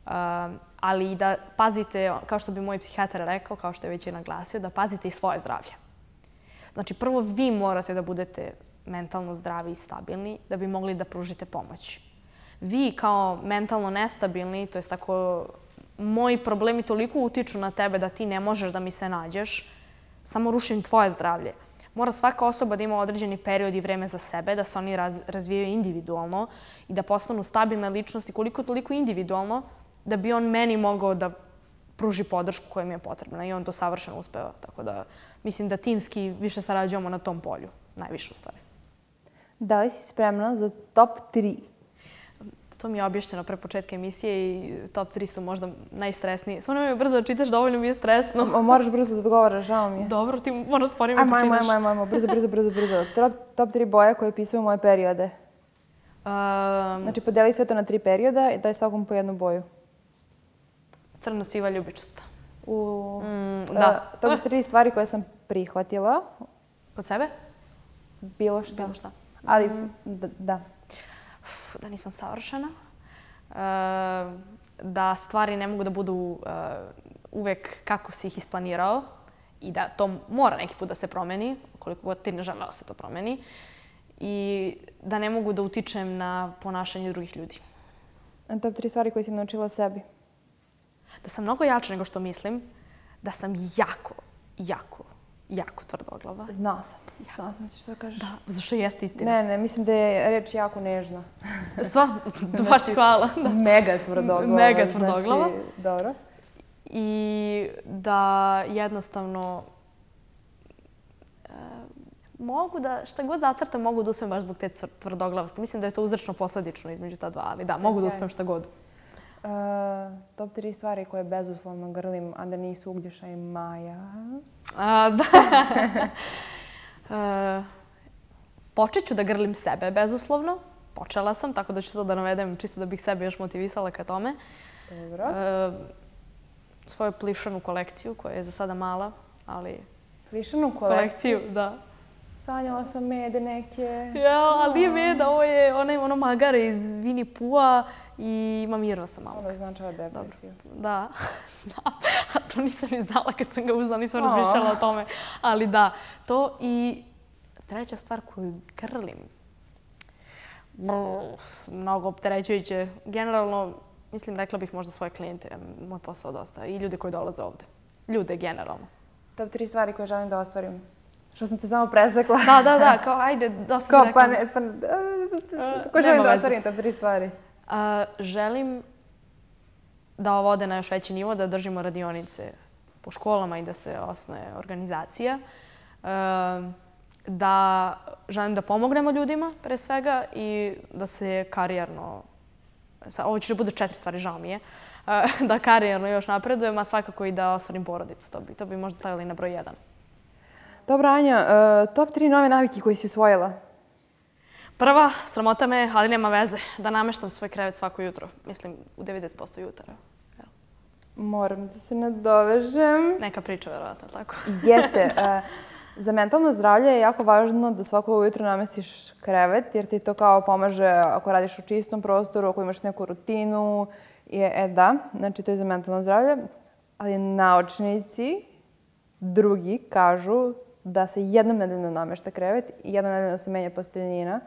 Speaker 2: uh, ali i da pazite, kao što bi moj psihijatar rekao, kao što je već i naglasio, da pazite i svoje zdravlje. Znači, prvo vi morate da budete mentalno zdravi i stabilni da bi mogli da pružite pomoć. Vi kao mentalno nestabilni, to jest ako moji problemi toliko utiču na tebe da ti ne možeš da mi se nađeš, samo rušim tvoje zdravlje. Mora svaka osoba da ima određeni period i vreme za sebe, da se oni raz, razvijaju individualno i da postanu stabilne ličnosti koliko toliko individualno da bi on meni mogao da pruži podršku koja mi je potrebna i on to savršeno uspeva. Tako da mislim da timski više sarađujemo na tom polju, najviše u stvari.
Speaker 1: Da li si spremna za top tri?
Speaker 2: To mi je objašnjeno pre početka emisije i top tri su možda najstresniji. Samo nemoj brzo da čitaš, dovoljno mi je stresno.
Speaker 1: O, moraš brzo da odgovaraš, žao mi je.
Speaker 2: Dobro, ti moraš sporije mi
Speaker 1: počitaš.
Speaker 2: počitaš.
Speaker 1: Ajmo, ajmo, ajmo, brzo, brzo, brzo, brzo. Top, top tri boje koje opisuju moje periode.
Speaker 2: Um,
Speaker 1: znači, podeli sve to na tri perioda i daj svakom po jednu boju.
Speaker 2: Crna, siva, ljubičasta.
Speaker 1: U,
Speaker 2: mm, da.
Speaker 1: Uh, top tri stvari koje sam prihvatila.
Speaker 2: Kod sebe?
Speaker 1: Bilo šta.
Speaker 2: Bilo šta.
Speaker 1: Ali, mm. da. da.
Speaker 2: Uf, da nisam savršena. Uh, da stvari ne mogu da budu uh, uvek kako si ih isplanirao i da to mora neki put da se promeni, koliko god ti ne želeo da se to promeni. I da ne mogu da utičem na ponašanje drugih ljudi.
Speaker 1: A top tri stvari koje si naučila sebi?
Speaker 2: Da sam mnogo jača nego što mislim, da sam jako, jako, jako tvrdoglava.
Speaker 1: Znao sam. Ja. Znao sam što da kažeš.
Speaker 2: Da, zašto jeste istina.
Speaker 1: Ne, ne, mislim da je reč jako nežna.
Speaker 2: Sva, baš ti hvala.
Speaker 1: Da. Mega tvrdoglava.
Speaker 2: Mega tvrdoglava.
Speaker 1: Znači, dobro.
Speaker 2: I da jednostavno e, mogu da, šta god zacrtam, mogu da uspem baš zbog te tvrdoglavosti. Mislim da je to uzročno posledično između ta dva, ali da, mogu da uspem šta god.
Speaker 1: Uh, top tri stvari koje bezuslovno grlim, a da nisu Uglješa i Maja.
Speaker 2: A, da. uh, počet ću da grlim sebe bezuslovno. Počela sam, tako da ću sad da navedem čisto da bih sebe još motivisala ka tome.
Speaker 1: Dobro.
Speaker 2: Uh, svoju plišanu kolekciju koja je za sada mala, ali...
Speaker 1: Plišanu kolekciju?
Speaker 2: Kolekciju, da.
Speaker 1: Sanjala sam mede neke.
Speaker 2: Ja, ali nije meda, ovo je ono, ono magare iz Winnie Pooha i ima mirno sam malo.
Speaker 1: Ono označava depresiju.
Speaker 2: Da, znam. A to nisam ni znala kad sam ga uzela, nisam razmišljala o tome. Ali da, to i treća stvar koju grlim. Mnogo opterećujuće. Generalno, mislim, rekla bih možda svoje klijente, moj posao dosta i ljude koji dolaze ovde. Ljude, generalno.
Speaker 1: Top tri stvari koje želim da ostvarim. Što sam te samo presekla.
Speaker 2: Da, da, da, kao ajde, dosta si rekla.
Speaker 1: Pa ne, pa... Ko želim da ostvarim top tri stvari?
Speaker 2: Uh, želim da ovo ode na još veći nivo, da držimo radionice po školama i da se osnuje organizacija. Uh, da želim da pomognemo ljudima, pre svega, i da se karijerno... Ovo će da bude četiri stvari, žao mi je. Uh, da karijerno još napredujem, a svakako i da ostvarim porodicu. To bi, to bi možda stavili na broj jedan.
Speaker 1: Dobro, Anja, uh, top tri nove navike koje si usvojila?
Speaker 2: Prva, sramota me, ali nema veze, da nameštam svoj krevet svako jutro. Mislim, u devedeset posto jutara. Evo.
Speaker 1: Moram da se nadovežem.
Speaker 2: Neka priča, verovatno, tako.
Speaker 1: Jeste. Uh, za mentalno zdravlje je jako važno da svako jutro namestiš krevet, jer ti to kao pomaže ako radiš u čistom prostoru, ako imaš neku rutinu. Je, e, da, znači to je za mentalno zdravlje. Ali naučnici drugi kažu da se jednom nedeljno namešta krevet i jednom nedeljno se menja posteljnina.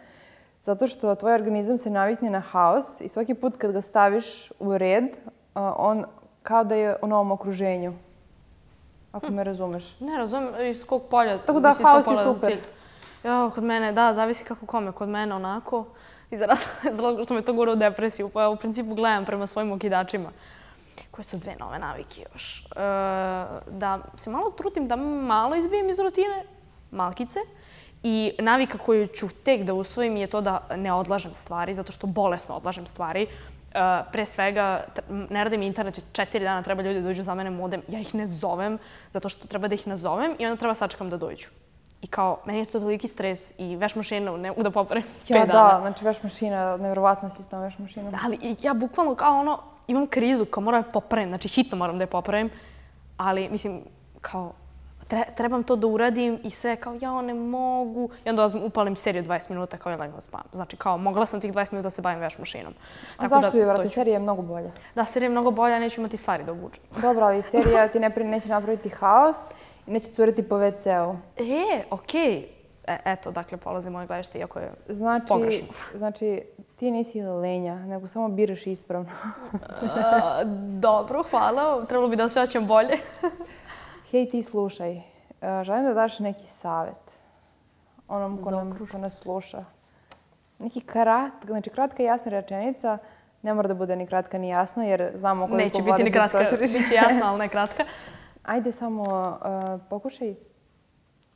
Speaker 1: Zato što tvoj organizam se navikne na haos i svaki put kad ga staviš u red, on kao da je u novom okruženju. Ako me razumeš.
Speaker 2: Ne razumem, iz kog polja.
Speaker 1: Tako da, haos je super.
Speaker 2: Ja, kod mene, da, zavisi kako kome. Kod mene onako, iz razloga što me to gura u depresiju, pa ja u principu gledam prema svojim okidačima. Koje su dve nove navike još. E, da se malo trudim da malo izbijem iz rutine, malkice. I navika koju ću tek da usvojim je to da ne odlažem stvari, zato što bolesno odlažem stvari. pre svega, ne radi mi internet, četiri dana treba ljudi da dođu za mene modem, ja ih ne zovem zato što treba da ih nazovem i onda treba sačekam da dođu. I kao, meni je to toliki stres i veš mašinu ne mogu da popravim pet dana.
Speaker 1: Ja, da, znači veš mašina, nevjerovatno si s tom veš mašinom.
Speaker 2: Ali ja bukvalno kao ono, imam krizu, kao moram da je popravim, znači hitno moram da je popravim, ali mislim, kao, trebam to da uradim i sve kao, ja ne mogu. I onda upalim seriju dvadeset minuta kao ja legam da spavam. Znači kao, mogla sam tih dvadeset minuta da se bavim veš mašinom.
Speaker 1: A zašto je, vrati, serija je mnogo bolja?
Speaker 2: Da, serija je mnogo bolja, neću imati stvari da obučem.
Speaker 1: Dobro, ali serija ti neće napraviti haos i neće curiti po ve ce u.
Speaker 2: E, okej. Eto, dakle, polazi moje gledište, iako je pogrešno.
Speaker 1: Znači, ti nisi lenja, nego samo biraš ispravno.
Speaker 2: Dobro, hvala. Trebalo bi da osjećam bolje.
Speaker 1: Hej, ti slušaj. Želim da daš neki savjet onom ko nas sluša. Neki kratka, znači kratka i jasna rečenica. Ne mora da bude ni kratka ni jasna, jer znamo koliko
Speaker 2: neće biti ni kratka, bit će jasna, ali ne kratka.
Speaker 1: Ajde samo pokušaj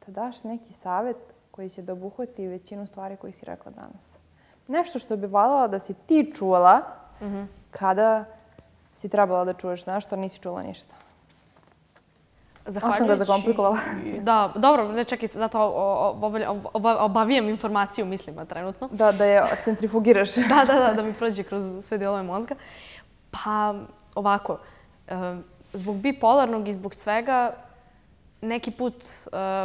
Speaker 1: da daš neki savjet koji će da obuhvati većinu stvari koje si rekla danas. Nešto što bi valjala da si ti čula kada si trebala da čuješ nešto, nisi čula ništa.
Speaker 2: Zahvaljujući...
Speaker 1: sam ga zakomplikovala.
Speaker 2: Da, dobro, ne čekaj, zato obavijam informaciju mislima trenutno.
Speaker 1: Da, da je centrifugiraš.
Speaker 2: Da, da, da, da mi prođe kroz sve dijelove mozga. Pa, ovako, zbog bipolarnog i zbog svega, neki put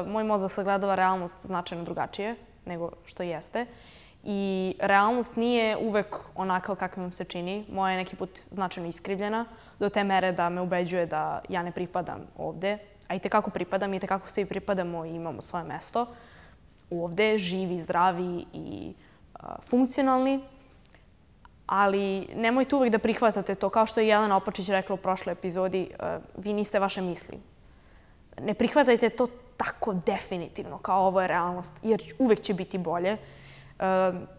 Speaker 2: moj mozak sagledava realnost značajno drugačije nego što jeste. I realnost nije uvek onaka kakva vam se čini. Moja je neki put značajno iskrivljena do te mere da me ubeđuje da ja ne pripadam ovde. A i tekako pripadam, i tekako svi pripadamo i imamo svoje mesto ovde, živi, zdravi i funkcionalni. Ali nemojte uvek da prihvatate to, kao što je Jelena Opačić rekla u prošloj epizodi, vi niste vaše misli. Ne prihvatajte to tako definitivno, kao ovo je realnost, jer uvek će biti bolje.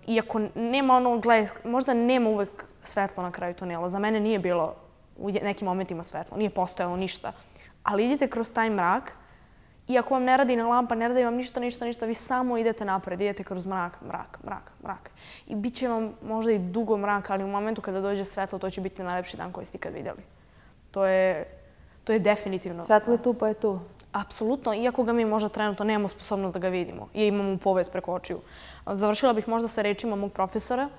Speaker 2: Iako nema ono, gledaj, možda nema uvek svetlo na kraju tunela. Za mene nije bilo u nekim momentima svetlo, nije postojalo ništa. Ali idite kroz taj mrak i ako vam ne radi na lampa, ne radi vam ništa, ništa, ništa, vi samo idete napred, idete kroz mrak, mrak, mrak, mrak. I bit će vam možda i dugo mrak, ali u momentu kada dođe svetlo, to će biti najlepši dan koji ste ikad vidjeli. To je, to je definitivno.
Speaker 1: Svetlo je tu, pa je tu.
Speaker 2: Apsolutno, iako ga mi možda trenutno nemamo sposobnost da ga vidimo i imamo povest preko očiju. Završila bih možda sa rečima mog profesora,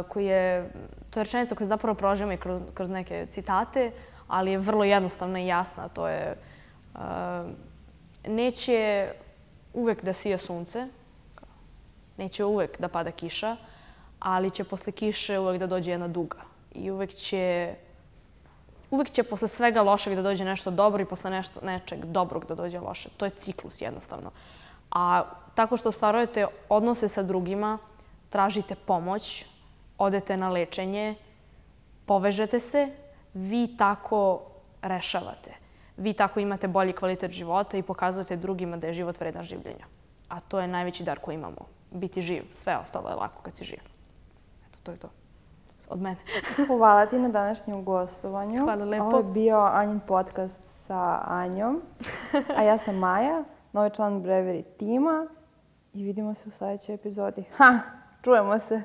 Speaker 2: koji je, to je rečenica koja zapravo prožima i kroz, kroz neke citate, ali je vrlo jednostavna i jasna. To je, neće uvek da sija sunce, neće uvek da pada kiša, ali će posle kiše uvek da dođe jedna duga. I uvek će Uvek će posle svega lošeg da dođe nešto dobro i posle nešto, nečeg dobrog da dođe loše. To je ciklus jednostavno. A tako što ostvarujete odnose sa drugima, tražite pomoć, odete na lečenje, povežete se, vi tako rešavate. Vi tako imate bolji kvalitet života i pokazujete drugima da je život vredan življenja. A to je najveći dar koji imamo. Biti živ. Sve ostalo je lako kad si živ. Eto, to je to. Od mene.
Speaker 1: Hvala ti na današnjem gostovanju.
Speaker 2: Hvala lepo.
Speaker 1: Ovo je bio Anjin podcast sa Anjom, a ja sam Maja, novi član Brevery tima i vidimo se u sljedećoj epizodi. Ha, čujemo se.